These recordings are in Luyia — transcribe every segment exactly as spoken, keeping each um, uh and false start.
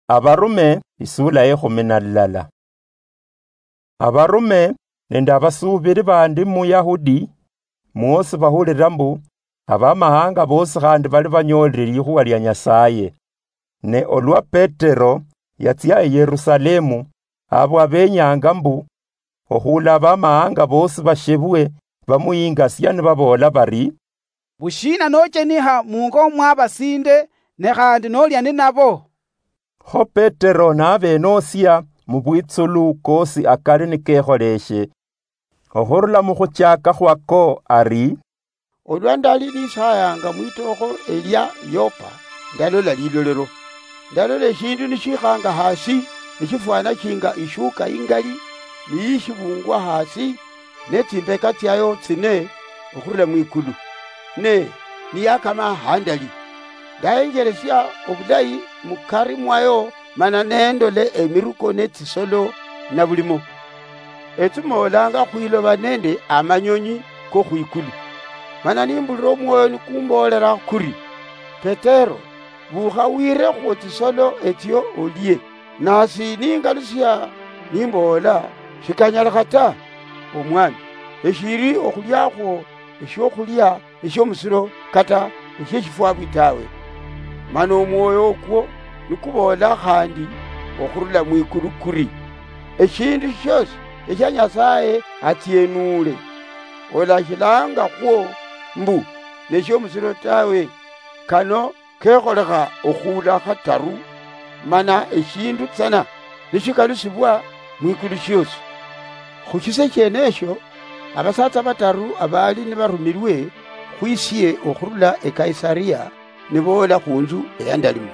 Abarume, isula ye khumi na lulala. Abarume nende abasuubiri bandi mu Yahudi, mwosi bahulira mbu, abamahanga bosi khandi bali banyoolire likhuwa lia Nyasaye. Ne olwa Petero yatsia e Yerusalemu, abo abenyanga mbu, okhula abamahanga bosi bashebwe, bamuyingasia nibaboola bari, "Bushiina nocheniha mungo mwa basinde, ne khandi nolia ninabo?" Kho Petero nabenosia mu bwitsulu kosi akali nikekholeshe, okhurula mukhuchaka khwako ari, "Olwa ndali nisayanga mwitokho elia Yopa, ndalola lilolero. Ndalola eshindu nishikhanga hasi, nishifwana shinga ishuka ingali, niyishibungwa hasi, ne tsimbeka tsiayo tsine okhurula mwikulu, ne niyakama handali. Ndahenjeresia obulayi mukari mwayo, mana nendole emiruko ne tsisolo na bulimo, etsimolanga khwiloba nende amanyonyi kokhwikulu. Mana nimbulira omwoyo nikumbolera kuri, 'Petero, bukha wire khu tsisolo etsio olie.' Nasi ningalusia nimboola, 'Shikanyalikha ta, Omwami, eshiri okhuliakhwo eshiokhulia eshiomusiro kata eshieshifwabwi tawe.' Mana omwoyo okwo nikuboola khandi okhurula mwikulu kuri, 'Eshindu shiosi eshia Nyasaye atsienule, olashilanga khwo mbu neshiomusiro tawe.' Kano kekholekha okhuula khataru, mana eshindu tsana nishikalusibwa mwikulu shiosi." Khu shise shienesho, abasatsa bataru abali nibarumilwe khwisie okhurula e Kaisaria niboola khunzu eyandalimo.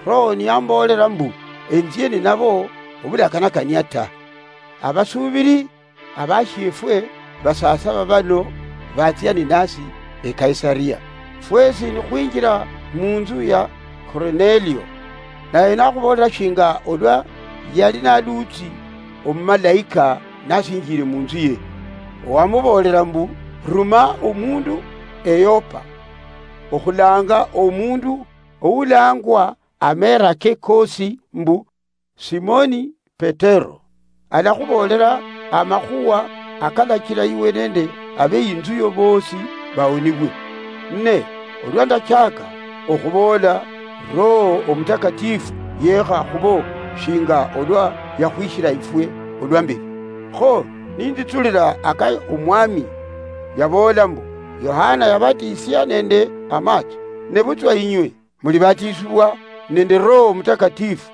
Roho niyamboolera mbu enzie ninabo obulakanakania ta. Abasuubiri abashiefwe basasaba bano batsia ninasi e Kaisaria. Fwesi nikhwinjira munzu ya Kornelio, naye nakhuboolera shinga olwa yali naluutsi omumalaika nasinjire munzu ye. Wamuboolera mbu, 'Ruma omundu e Yopa, okhulanga omundu oulangwa ameera ke kosi mbu Simoni Petero. Alakhuboolera amakhuwa akalachira iwe nende abeinzu yo boosi baonibwe. Ne olwa ndachaka okhuboola, Roho Omutakatifu yeekha khubo shinga olwa yakhwishira ifwe olwa mberi. Kho ninditsulira aka Omwami yaboola mbu, 'Yohana yabatisia nende amachi, nebutswa inywe mulibatisibwa nende Roho Omutakatifu.'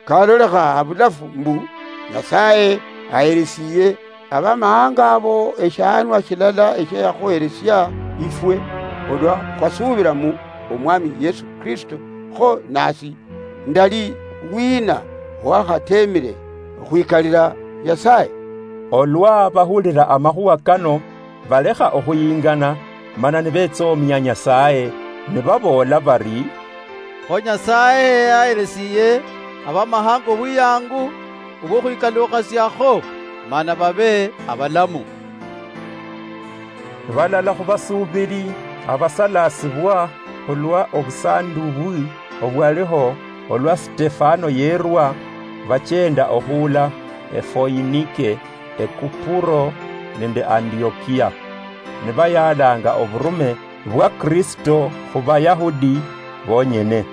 Kalolekha habulafu mbu Nyasaye aheresiye abamahanga abo eshianwa shilala eshiayakhuheresia ifwe olwa khwasubira mu Omwami Yesu Kristo. Kho nasi ndali wina owakhatemire okhwikalira Nyasaye?" Olwa bahulira amakhuwa kano, balekha okhuyingana, mana nibetsomia Nyasaye, nibaboola bari, "Kho Nyasaye yaheresiye abamahanga obuyangu obwokhwikalukhasiakho, mana babe abalamu." Balala khubasuubiri abasalasibwa khulwa obusanduubwi obwaliho olwa Sitefano yerwa, bachenda okhuula eFoinike, eKupuro nende Antiokia, nibayaalanga oburume bwa Kristo khu Bayahudi bonyene.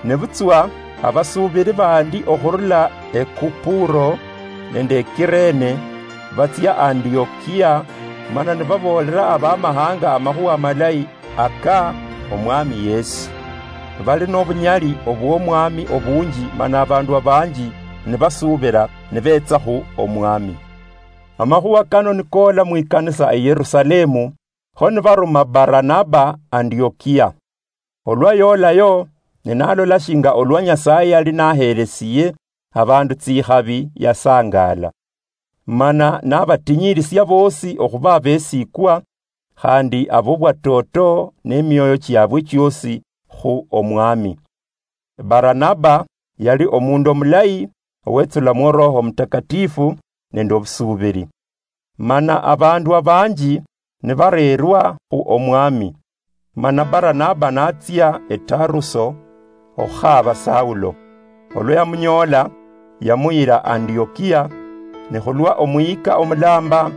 Nebutswa abasuubiri bandi okhurula eKupuro nende eKirene batsia Antiokia, mana nibaboolera abamahanga amakhuwa amalayi aka Omwami Yesu. Bali nobunyali obw'Omwami obunji, mana abandu abanji nibasuubira nibetsa khu Omwami. Amakhuwa kano nikoola mwikanisa eYerusalemu, kho nibaruma Baranaba Antiokia. Olwa yolayo, ne nalola shinga olwa Nyasaye yali nahelesiye abandu tsikhabi, yasangaala. Mana nabatinyirisia bosi okhuba abesikwa, khandi abobwatoto nemioyo chiabwe chiosi khu Omwami. Baranaba yali omundu omulayi, owetsulamwo Roho Omutakatifu nende obusuubiri. Mana abandu abanji nibareerwa khu Omwami. Mana Baranaba natsia eTaruso okhukhaba Saulo. Olwa yamunyoola, yamuyira Antiokia, ne khulwa Omuyika Omulamba,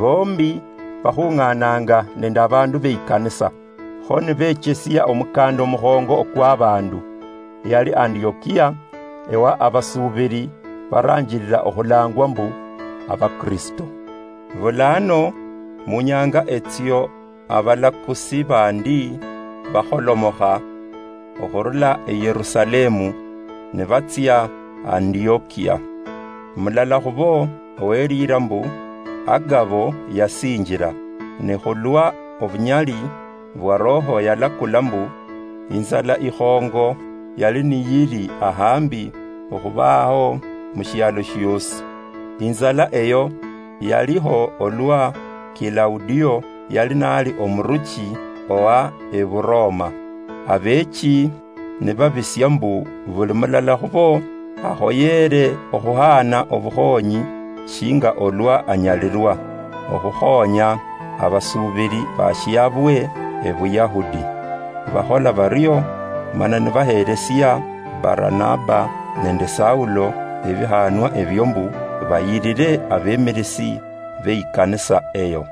bombi bakhung'aananga nende abandu beikanisa, kho nibechesia omukanda omukhongo okwa abandu. Yali Antiokia, ewa abasuubiri baranjirira okhulangwa mbu Abakristo. Bulano, munyanga etsio abalakusi bandi bakholomokha okhurula e Yerusalemu, ne batsia Antiokia. Mulala khubo oweliira mbu Agabo yasinjira, ne khulwa obunyali bwa Roho yalakula mbu inzala ikhongo yali niyili ahambi okhubaho mushialo shiosi. Inzala eyo yaliho olwa Kilaudio yali nali omuruchi owa Eburoma. Abechi nibabisia mbu buli mulala khubo akhoyere okhuhaana obukhonyi shinga olwa anyalirwa, okhukhonya abasuubiri bashiabwe Ebuyahudi. Bakhola bario, mana nibaheresia Baranaba nende Saulo ebihanwa ebio mbu bayirire abemirisi beikanisa eyo.